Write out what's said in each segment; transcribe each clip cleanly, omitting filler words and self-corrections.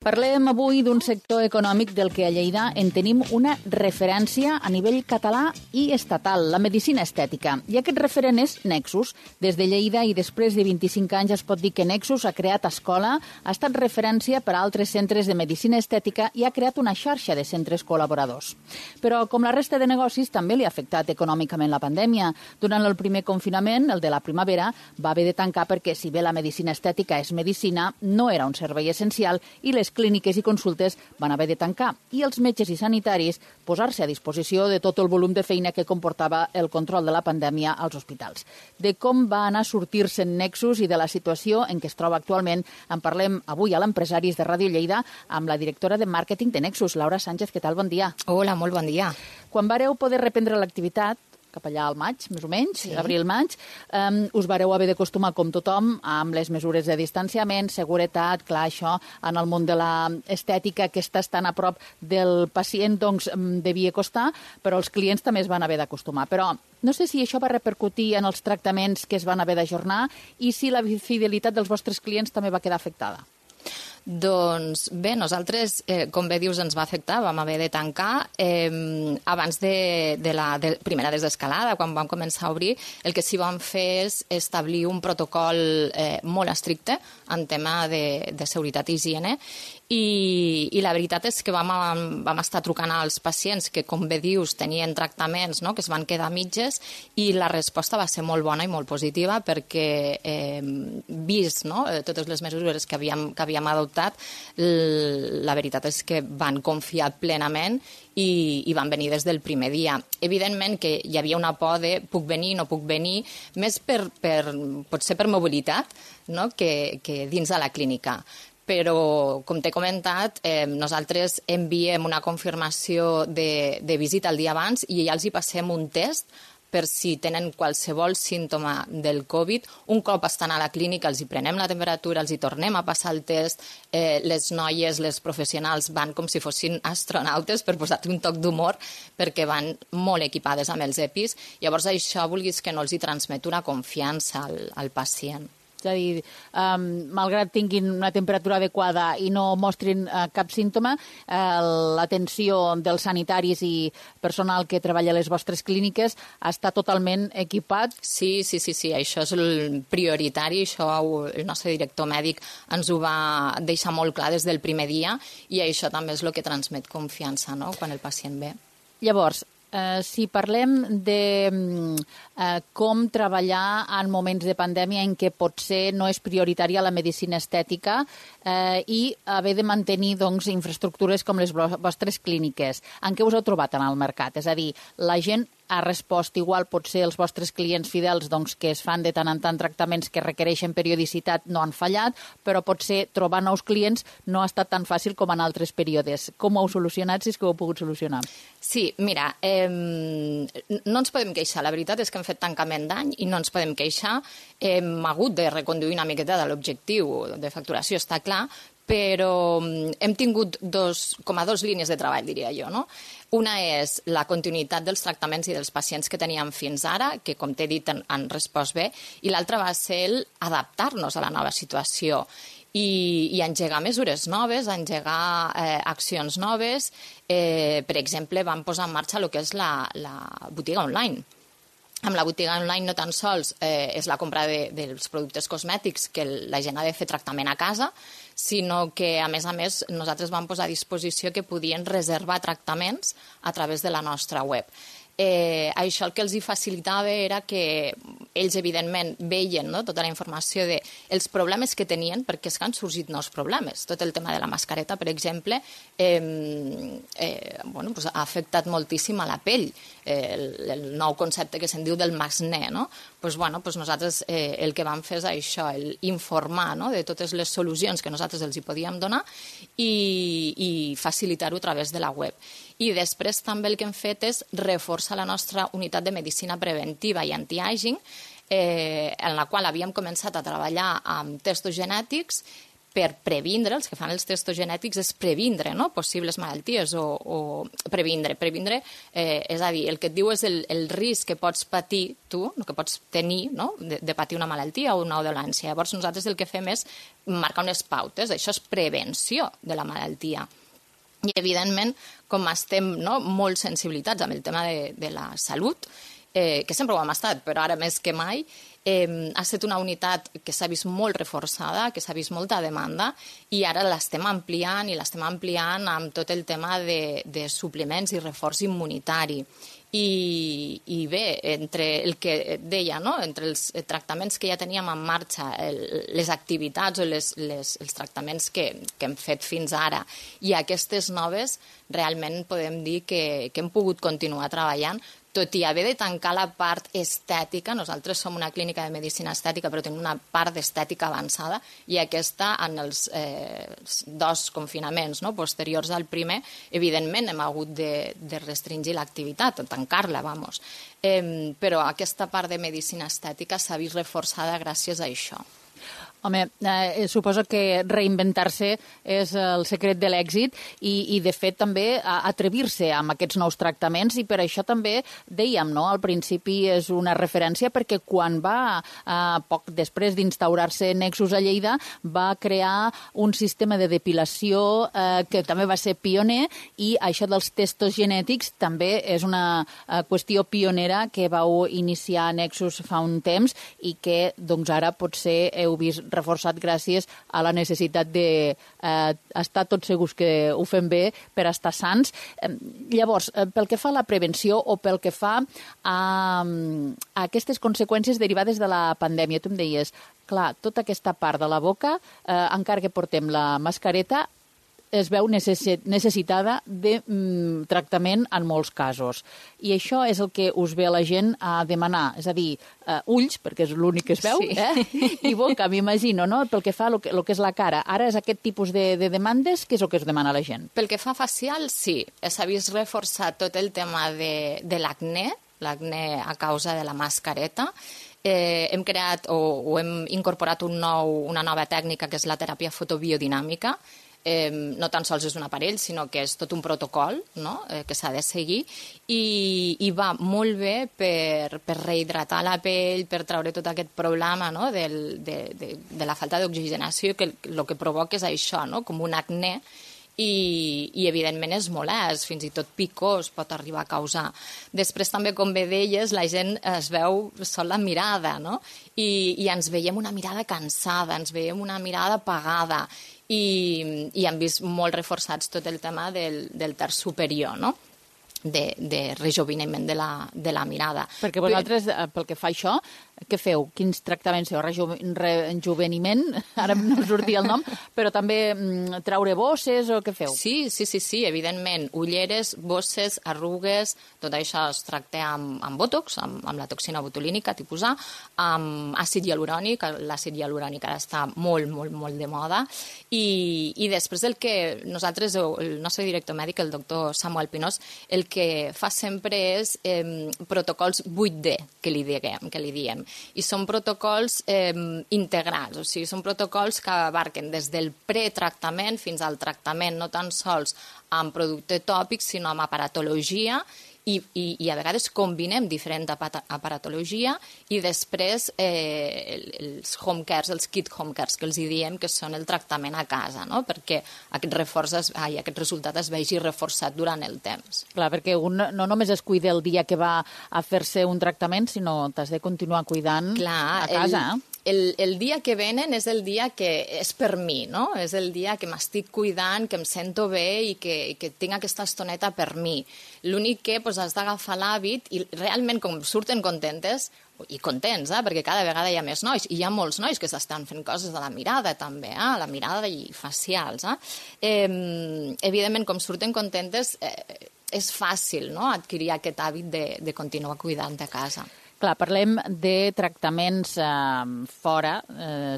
Parlem avui d'un sector econòmic del que a Lleida en tenim una referència a nivell català i estatal, la medicina estètica. I aquest referent és Nexus. Des de Lleida i després de 25 anys es pot dir que Nexus ha creat escola, ha estat referència per a altres centres de medicina estètica i ha creat una xarxa de centres col·laboradors. Però, com la resta de negocis, també li ha afectat econòmicament la pandèmia. Durant el primer confinament, el de la primavera, va haver de tancar perquè, si bé la medicina estètica és medicina, no era un servei essencial i les clíniques i consultes van haver de tancar i els metges i sanitaris posar-se a disposició de tot el volum de feina que comportava el control de la pandèmia als hospitals. De com va anar a sortir-se en Nexus i de la situació en què es troba actualment en parlem avui a l'Empresaris de Ràdio Lleida amb la directora de màrqueting de Nexus, Laura Sánchez. Què tal? Bon dia. Hola, molt bon dia. Quan vareu poder reprendre l'activitat, cap allà al maig, més o menys, sí. Abril-maig, us vareu haver d'acostumar com tothom amb les mesures de distanciament, seguretat, clar, això en el món de l'estètica que estàs tan a prop del pacient, doncs devia costar, però els clients també es van haver d'acostumar. Però no sé si això va repercutir en els tractaments que es van haver d'ajornar i si la fidelitat dels vostres clients també va quedar afectada. Doncs bé, nosaltres, com bé dius, ens va afectar, vam haver de tancar. Abans de la primera desescalada, quan vam començar a obrir, el que sí vam fer és establir un protocol molt estricte en tema de seguretat i higiene i la veritat és que vam estar trucant als pacients que, com bé dius, tenien tractaments, no?, que es van quedar a mitges i la resposta va ser molt bona i molt positiva perquè, vist, no?, totes les mesures que havíem adoptat, la veritat és que van confiar plenament i van venir des del primer dia. Evidentment que hi havia una por de puc venir, no puc venir, més potser per mobilitat, no?, que dins de la clínica. Però, com t'he comentat, nosaltres enviem una confirmació de visita el dia abans i ja els hi passem un test per si tenen qualsevol símptoma del Covid. Un cop estan a la clínica els hi prenem la temperatura, els hi tornem a passar el test, les noies, les professionals van com si fossin astronautes, per posar-te un toc d'humor, perquè van molt equipades amb els EPIs. Llavors això, vulguis que no, els hi transmet una confiança al pacient. És a dir, malgrat tinguin una temperatura adequada i no mostrin cap símptoma, l'atenció dels sanitaris i personal que treballa a les vostres clíniques està totalment equipat? Sí, això és el prioritari, això el nostre director mèdic ens ho va deixar molt clar des del primer dia i això també és el que transmet confiança, no?, quan el pacient ve. Llavors, si parlem de com treballar en moments de pandèmia en què potser no és prioritària la medicina estètica i haver de mantenir infraestructures com les vostres clíniques, en què us heu trobat en el mercat? És a dir, la gent ha respost igual, potser els vostres clients fidels que es fan de tant en tant tractaments que requereixen periodicitat no han fallat, però potser trobar nous clients no ha estat tan fàcil com en altres períodes. Com ho heu solucionat, si és que ho heu pogut solucionar? Sí, mira, no ens podem queixar. La veritat és que hem fet tancament d'any i no ens podem queixar. Hem hagut de reconduir una miqueta de l'objectiu de facturació, està clar, però hem tingut com a dues línies de treball, diria jo, no? Una és la continuïtat dels tractaments i dels pacients que teníem fins ara, que, com t'he dit, han respost bé, i l'altra va ser adaptar-nos a la nova situació i engegar mesures noves, engegar accions noves. Per exemple, vam posar en marxa el que és la botiga online. Amb la botiga online no tan sols és la compra dels productes cosmètics que la gent ha de fer tractament a casa, sinó que, a més, nosaltres vam posar a disposició que podien reservar tractaments a través de la nostra web. Això el que els hi facilitava era que ells, evidentment, veien, no?, tota la informació dels problemes que tenien, perquè és que han sorgit nous problemes. Tot el tema de la mascareta, per exemple, ha afectat moltíssim a la pell. El nou concepte que se'n diu del masné, no? Nosaltres el que vam fer és això, informar, no?, de totes les solucions que nosaltres els hi podíem donar i facilitar-ho a través de la web. I després també el que hem fet és reforçar la nostra unitat de medicina preventiva i anti-aging, en la qual havíem començat a treballar amb testos genètics per previndre, els que fan els testos genètics, és previndre, no?, possibles malalties o previndre. Previndre, és a dir, el que et diu és el risc que pots patir tu, el que pots tenir, no?, de patir una malaltia o una dolència. Llavors, nosaltres el que fem és marcar unes pautes. Això és prevenció de la malaltia. I, evidentment, com estem, no, molt sensibilitzats amb el tema de la salut, que sempre ho hem estat, però ara més que mai, ha estat una unitat que s'ha vist molt reforçada, que s'ha vist molta demanda, i ara l'estem ampliant, i l'estem ampliant amb tot el tema de suplements i reforç immunitari. I bé, entre el que deia, no?, entre els tractaments que ja teníem en marxa, les activitats o els tractaments que hem fet fins ara i aquestes noves, realment podem dir que hem pogut continuar treballant, tot i haver de tancar la part estètica. Nosaltres som una clínica de medicina estètica, però tenim una part d'estètica avançada, i aquesta, en els 2 confinaments, no?, posteriors al primer, evidentment hem hagut de restringir l'activitat, o tancar-la, vamos. Però aquesta part de medicina estètica s'ha vist reforçada gràcies a això. Home, suposo que reinventar-se és el secret de l'èxit i de fet, també atrevir-se amb aquests nous tractaments, i per això també dèiem, no?, al principi és una referència perquè quan va, poc després d'instaurar-se Nexus a Lleida, va crear un sistema de depilació que també va ser pioner, i això dels testos genètics també és una qüestió pionera que vau iniciar a Nexus fa un temps i que, doncs, ara potser heu vist reforçat gràcies a la necessitat d'estar tots segurs que ho fem bé per estar sants. Llavors, pel que fa a la prevenció o pel que fa a aquestes conseqüències derivades de la pandèmia, tu em deies, clar, tota aquesta part de la boca, encara que portem la mascareta, es veu necessitada de tractament en molts casos. I això és el que us ve la gent a demanar. És a dir, ulls, perquè és l'únic que es veu, sí. I boca, m'imagino, no?, pel que fa a el que és la cara. Ara és aquest tipus de demandes, què és el que es demana a la gent? Pel que fa facial, sí. S'ha vist reforçat tot el tema de l'acné a causa de la mascareta. Hem creat o hem incorporat una nova tècnica que és la teràpia fotobiodinàmica. No tan sols és un aparell, sinó que és tot un protocol, no?, que s'ha de seguir, i va molt bé per rehidratar la pell, per treure tot aquest problema, no?, de la falta d'oxigenació, que el que provoca és això, no?, com un acné, i evidentment és molest, fins i tot picors pot arribar a causar. Després també, com bé deies, la gent es veu sol la mirada, no?, i ens veiem una mirada cansada, ens veiem una mirada apagada, i han vist molt reforçats tot el tema del terç superior, no?, de rejoveniment de la mirada. Perquè vosaltres, pel que fa a això, què feu? Quins tractaments feu? Rejoveniment? Ara no em sortia el nom, però també treure bosses o què feu? Sí, evidentment. Ulleres, bosses, arrugues, tot això es tracta amb bòtox, amb la toxina botulínica tipus A, amb àcid hialurònic. L'àcid hialurònic ara està molt, molt, molt de moda. I després el que nosaltres, el nostre director mèdic, el doctor Samuel Pinós, el que fa sempre és protocols 8D, que li diem. I són protocols integrals, o sigui, són protocols que abarquen des del pretractament fins al tractament, no tan sols amb producte tòpic, sinó amb aparatologia, i a vegades combinem diferent aparatologia, i després els home cares, els kit home cares, que els diem que són el tractament a casa, no?, perquè aquest resultat es vegi reforçat durant el temps. Clar, perquè un no només es cuida el dia que va a fer-se un tractament, sinó t'has de continuar cuidant a casa. El dia que venen és el dia que és per mi, no? És el dia que m'estic cuidant, que em sento bé i que tinc aquesta estoneta per mi. L'únic que has d'agafar l'hàbit i realment com surten contentes, i contents, perquè cada vegada hi ha més nois, i hi ha molts nois que s'estan fent coses de la mirada també, la mirada i facials. Evidentment, com surten contentes, és fàcil, no?, adquirir aquest hàbit de continuar cuidant a casa. Clar, parlem de tractaments fora,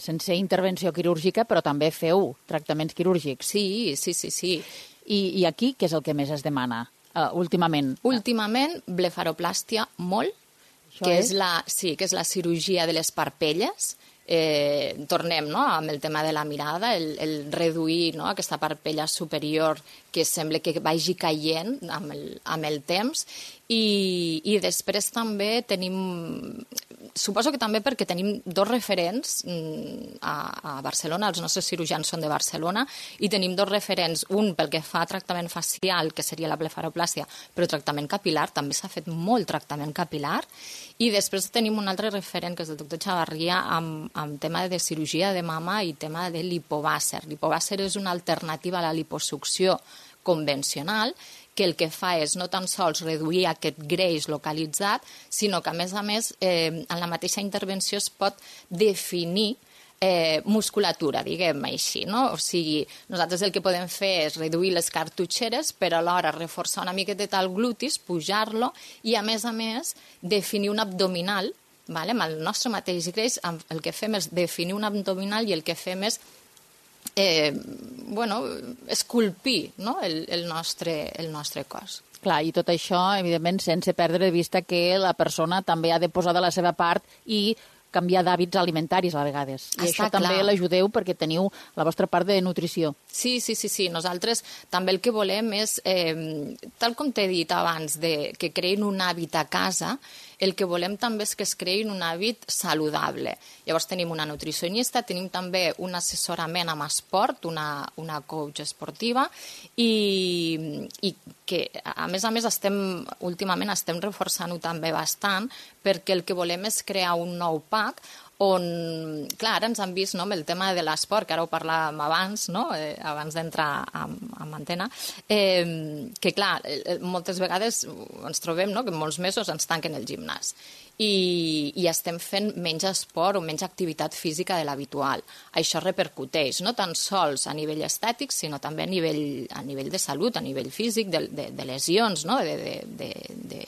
sense intervenció quirúrgica, però també feu tractaments quirúrgics. Sí. I aquí què és el que més es demana últimament? Últimament, blefaroplàstia molt, que és la cirurgia de les parpelles, tornem, no?, amb el tema de la mirada, el reduir, no?, aquesta parpella superior que sembla que vagi caient amb el temps, i després també tenim, suposo que també perquè tenim dos referents a Barcelona, els nostres cirurgians són de Barcelona, i tenim dos referents, un pel que fa a tractament facial, que seria la blefaroplàstia, però tractament capilar, també s'ha fet molt tractament capilar, i després tenim un altre referent, que és el doctor Chavarria, amb tema de cirurgia de mama i tema de lipobàsser. Lipobàsser és una alternativa a la liposucció convencional, que el que fa és no tan sols reduir aquest greix localitzat, sinó que, a més, en la mateixa intervenció es pot definir musculatura, diguem així, no? O sigui, nosaltres el que podem fer és reduir les cartutxeres, però alhora reforçar una miqueta el glutis, pujar-lo, i a més, definir un abdominal, amb el nostre mateix greix, el que fem és definir un abdominal i el que fem és esculpir, no?, el nostre cos. Clar, i tot això, evidentment, sense perdre de vista que la persona també ha de posar de la seva part i canviar d'hàbits alimentaris a vegades. I això també l'ajudeu perquè teniu la vostra part de nutrició. Sí. Nosaltres també el que volem és, tal com t'he dit abans, que creïn un hàbit a casa, el que volem també és que es creïn un hàbit saludable. Llavors tenim una nutricionista, tenim també un assessorament amb esport, una coach esportiva, i que, a més, últimament estem reforçant-ho també bastant, perquè el que volem és crear un nou pack on, clar, ara ens han vist, no?, amb el tema de l'esport, que ara ho parlàvem abans, no?, abans d'entrar en antena, que, clar, moltes vegades ens trobem, no?, que molts mesos ens tanquen el gimnàs i estem fent menys esport o menys activitat física de l'habitual. Això repercuteix no tan sols a nivell estètic, sinó també a nivell de salut, a nivell físic, de lesions, no?, de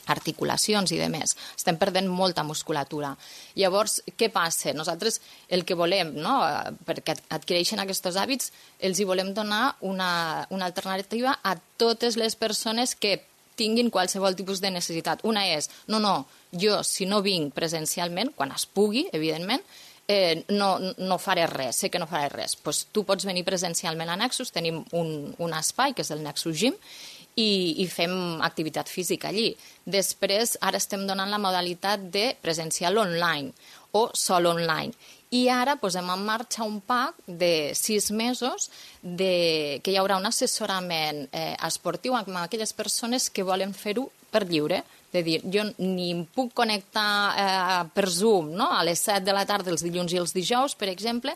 articulacions i demés. Estem perdent molta musculatura. Llavors, què passa? Nosaltres el que volem, no?, perquè adquireixen aquests hàbits, els hi volem donar una alternativa a totes les persones que tinguin qualsevol tipus de necessitat. Una és, jo si no vinc presencialment, quan es pugui, evidentment, no faré res, sé que no faré res. Doncs tu pots venir presencialment a Nexus, tenim un espai, que és el Nexus Gym, i fem activitat física allí. Després, ara estem donant la modalitat de presencial online o sol online. I ara posem en marxa un pack de 6 mesos que hi haurà un assessorament esportiu amb aquelles persones que volen fer-ho per lliure. És a dir, jo ni em puc connectar per Zoom, no?, a les 7 de la tarda els dilluns i els dijous, per exemple,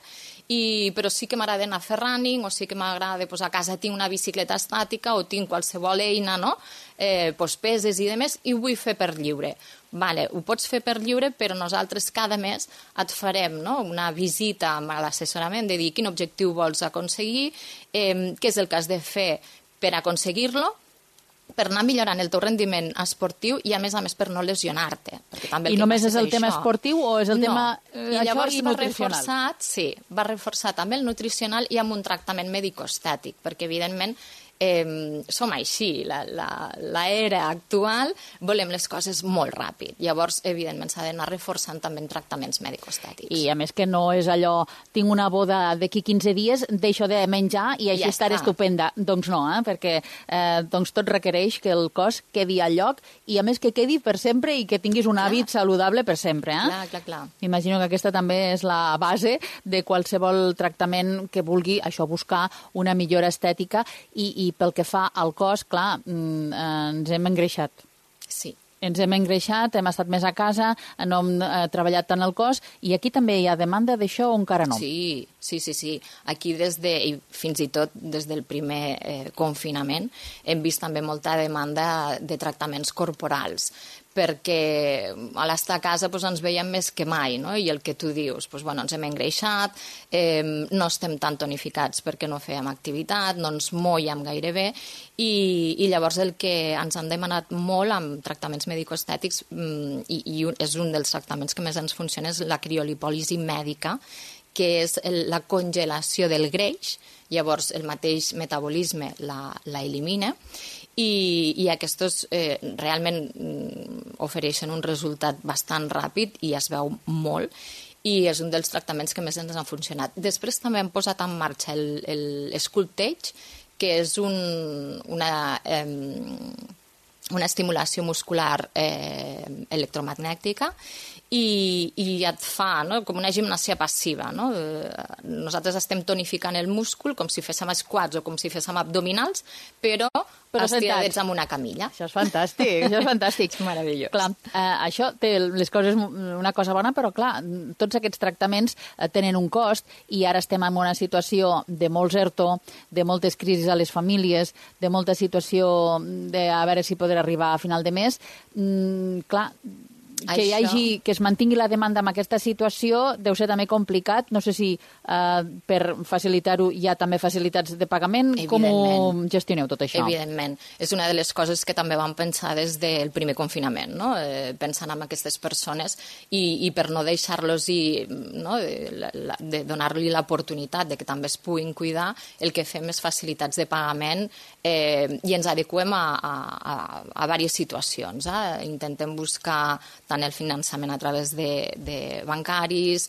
però sí que m'agrada anar a fer running, o sí que m'agrada, a casa tinc una bicicleta estàtica o tinc qualsevol eina, no?, peses i demés, i ho vull fer per lliure. Vale, ho pots fer per lliure, però nosaltres cada mes et farem, no?, una visita amb l'assessorament de dir quin objectiu vols aconseguir, què és el que has de fer per aconseguir-lo, per anar millorant el teu rendiment esportiu i, a més, per no lesionar-te. I només és el tema esportiu o és el tema i llavors va reforçar també el nutricional i amb un tractament mèdico-estètic, perquè, evidentment, som així, l'era actual, volem les coses molt ràpid. Llavors, evidentment, s'ha d'anar reforçant també en tractaments mèdico-estètics. I, a més, que no és allò, tinc una boda d'aquí 15 dies, deixo de menjar i així estaré estupenda. Doncs no, perquè tot requereix que el cos quedi al lloc i, a més, que quedi per sempre i que tinguis un hàbit saludable per sempre. Clar. Imagino que aquesta també és la base de qualsevol tractament que vulgui això, buscar una millora estètica i pel que fa al cos, clar, ens hem engreixat. Sí. Ens hem engreixat, hem estat més a casa, no hem treballat tant el cos, i aquí també hi ha demanda d'això o encara no? Sí. Aquí fins i tot des del primer confinament hem vist també molta demanda de tractaments corporals, perquè a l'estar a casa ens veiem més que mai, no? I el que tu dius, ens hem engreixat, no estem tan tonificats perquè no fèiem activitat, no ens mollem gaire bé, i llavors el que ens han demanat molt amb tractaments mèdico-estètics, i és un dels tractaments que més ens funciona, és la criolipòlisi mèdica, que és la congelació del greix, llavors el mateix metabolisme la elimina, i aquests realment ofereixen un resultat bastant ràpid i es veu molt, i és un dels tractaments que més ens han funcionat. Després també hem posat en marxa el Sculptage, que és una estimulació muscular electromagnètica, i et fa, no?, com una gimnàsia passiva. No? Nosaltres estem tonificant el múscul com si féssim squats o com si féssim abdominals, però estiradets amb una camilla. Això és fantàstic, això és fantàstic. Meravellós. Clar, això té les coses, una cosa bona, però clar, tots aquests tractaments tenen un cost i ara estem en una situació de molts ERTO, de moltes crisis a les famílies, de molta situació de a veure si podrà arribar a final de mes. Clar, que es mantingui la demanda en aquesta situació deu ser també complicat. No sé si per facilitar-ho hi ha també facilitats de pagament. Com ho gestioneu tot això? Evidentment. És una de les coses que també vam pensar des del primer confinament, no? Pensant en aquestes persones i per no deixar-los de donar-li l'oportunitat de que també es puguin cuidar, el que fem és facilitats de pagament i ens adequem a diverses situacions. Intentem buscar tant el finançament a través de bancaris,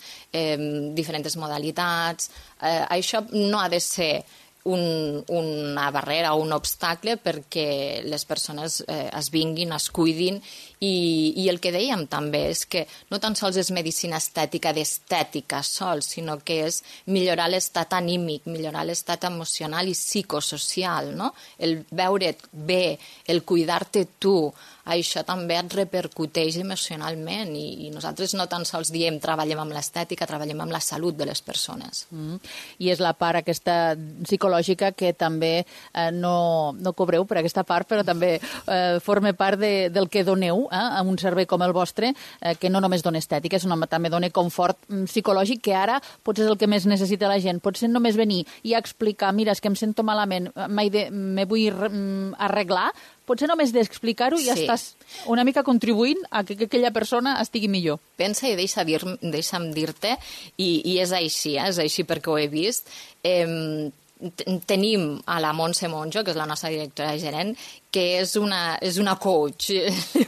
diferents modalitats. Això no ha de ser una barrera o un obstacle perquè les persones es vinguin, es cuidin, i el que dèiem també és que no tan sols és medicina estètica d'estètica sols, sinó que és millorar l'estat anímic, millorar l'estat emocional i psicosocial, no? El veure't bé, el cuidar-te tu, això també et repercuteix emocionalment i nosaltres no tan sols diem treballem amb l'estètica, treballem amb la salut de les persones. I és la part aquesta psicològica que també no cobreu per aquesta part, però també forma part del que doneu a un servei com el vostre, que no només dona estètica, sinó també dona confort psicològic, que ara potser és el que més necessita la gent. Potser només venir i explicar, mira, és que em sento malament, me vull arreglar, potser només d'explicar-ho ja estàs una mica contribuint a que aquella persona estigui millor. Pensa i deixa'm dir-te, i és així perquè ho he vist. Tenim a la Montse Monjo, que és la nostra directora gerent, que és una coach,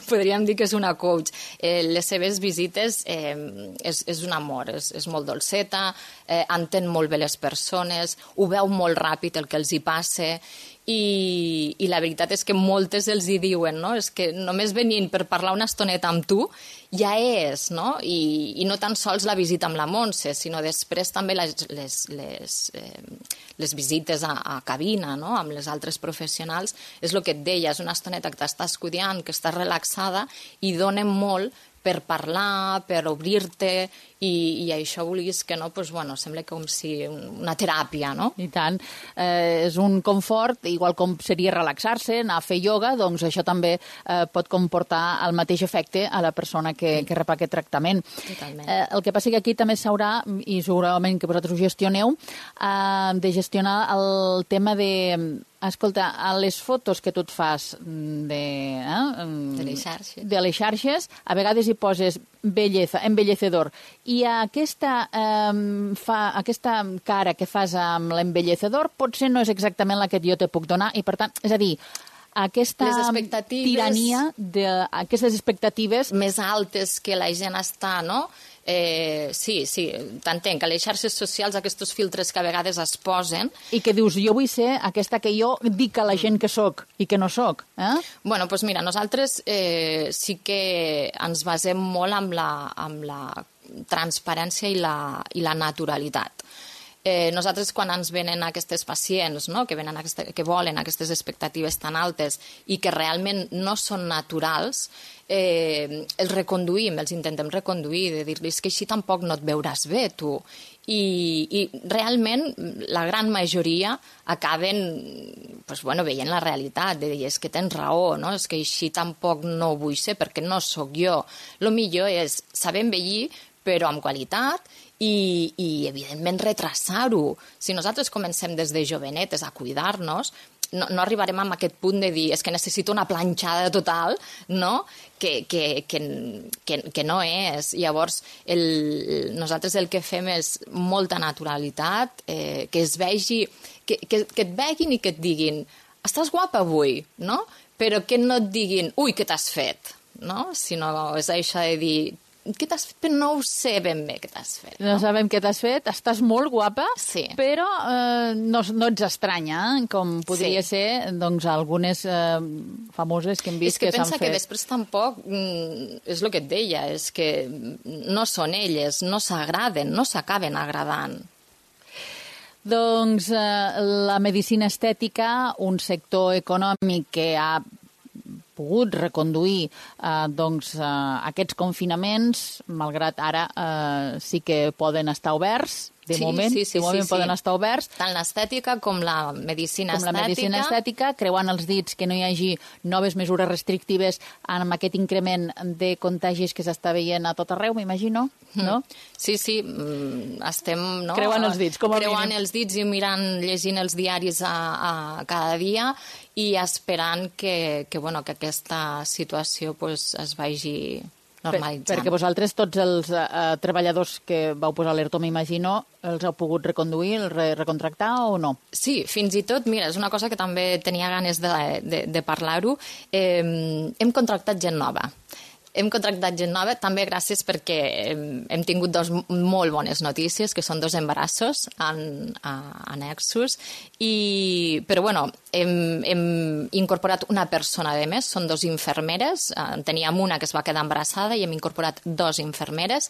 podríem dir que és una coach. Les seves visites és un amor, és molt dolceta, entén molt bé les persones, ho veu molt ràpid el que els hi passa, i la veritat és que moltes els hi diuen, no? És que només venint per parlar una estoneta amb tu ja és, no? I no tan sols la visita amb la Montse, sinó després també les visites a cabina, no? Amb les altres professionals. És el que et deia, és una estoneta que t'estàs cuidant, que estàs relaxada i donen molt per parlar, per obrir-te, i això vulguis que no, doncs, bueno, sembla com si una teràpia, no? I tant. És un confort, igual com seria relaxar-se, anar a fer ioga, doncs això també pot comportar el mateix efecte a la persona que rep aquest tractament. Totalment. El que passa que aquí també s'haurà, i segurament que vosaltres ho gestioneu, de gestionar el tema de... Escolta, a les fotos que tu et fas de les xarxes, a vegades hi poses belleza, embellecedor, i aquesta cara que fas amb l'embellecedor potser no és exactament la que jo te puc donar, i per tant, és a dir, aquesta tirania d'aquestes expectatives més altes que la gent està, no? Sí, t'entenc, que les xarxes socials, aquests filtres que a vegades es posen... I que dius, jo vull ser aquesta que jo dic a la gent que soc i que no soc. Bueno, doncs mira, nosaltres sí que ens basem molt amb la transparència i la naturalitat. Nosaltres, quan ens venen aquestes pacients, no? que volen aquestes expectatives tan altes i que realment no són naturals, els reconduïm, els intentem reconduir, de dir-los que així tampoc no et veuràs bé, tu. I realment la gran majoria acaben veient la realitat, de dir, és que tens raó, no? És que així tampoc no vull ser perquè no sóc jo. El millor és saber envellir, però amb qualitat, i evidentment retrasar-ho. Si nosaltres comencem des de jovenetes a cuidar-nos, no arribarem a aquest punt de dir és que necessito una planxada total, no? Que no és. Llavors, nosaltres el que fem és molta naturalitat, que es vegi, que et veguin i que et diguin estàs guapa avui, no? Però que no et diguin ui, què t'has fet, no? Sinó és això de dir què t'has fet? Però no ho sé ben bé què t'has fet. No sabem què t'has fet, estàs molt guapa, sí. Però no ets estranya, com podria ser doncs, algunes famoses que hem vist que s'han fet. És que pensa que després tampoc, és el que et deia, és que no són elles, no s'agraden, no s'acaben agradant. Doncs la medicina estètica, un sector econòmic que ha pogut reconduir aquests confinaments, malgrat ara sí que poden estar oberts, de moment poden estar oberts. Tant l'estètica com la medicina estètica. Creuant els dits que no hi hagi noves mesures restrictives amb aquest increment de contagis que s'està veient a tot arreu, m'imagino, no? Sí, estem creuant els dits, com a mínim. Creuant els dits i llegint els diaris cada dia i esperant que aquesta situació es vagi normalitzant. Perquè vosaltres, tots els treballadors que vau posar l'ERTO, m'imagino, els heu pogut reconduir, recontractar o no? Sí, fins i tot, mira, és una cosa que també tenia ganes de parlar-ho. Hem contractat gent nova. També gràcies perquè hem tingut dos molt bones notícies, que són 2 embarassos a Nexus, però bueno, hem incorporat una persona de més, són 2 infermeres, teníem una que es va quedar embarassada i hem incorporat 2 infermeres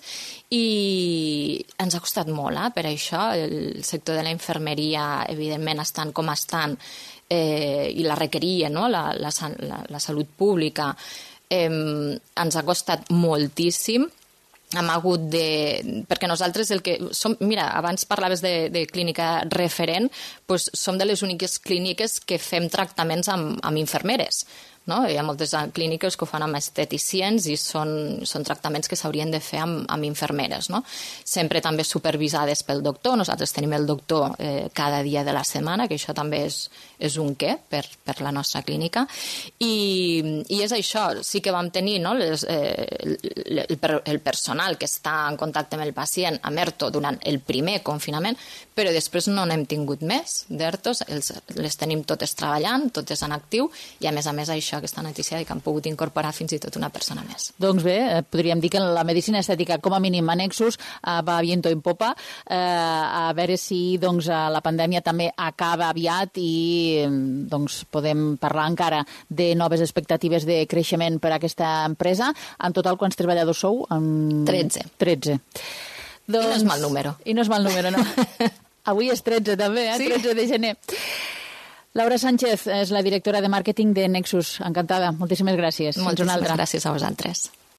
i ens ha costat molt, per això el sector de la infermeria, evidentment, estan com estan i la requeria, no? La salut pública, ens ha costat moltíssim. Hem hagut perquè nosaltres el que som... Mira, abans parlaves de clínica referent, doncs som de les úniques clíniques que fem tractaments amb infermeres. No? Hi ha moltes clíniques que ho fan amb esteticients i són tractaments que s'haurien de fer amb infermeres. No? Sempre també supervisades pel doctor. Nosaltres tenim el doctor cada dia de la setmana, que això també és un què per la nostra clínica. I és això, sí que vam tenir el personal que està en contacte amb el pacient amb ERTO durant el primer confinament, però després no n'hem tingut més d'ERTOs, les tenim totes treballant, totes en actiu, i a més això, aquesta notícia que han pogut incorporar fins i tot una persona més. Doncs bé, podríem dir que la medicina estètica, com a mínim a Nexus, va viento en popa. A veure si la pandèmia també acaba aviat i podem parlar encara de noves expectatives de creixement per a aquesta empresa. En total, quants treballadors sou? 13. 13. I no és mal número. I no és mal número, no. Avui és 13 també, Sí? 13 de gener. Laura Sánchez és la directora de màrqueting de Nexus. Encantada. Moltíssimes gràcies. Moltíssimes gràcies a vosaltres.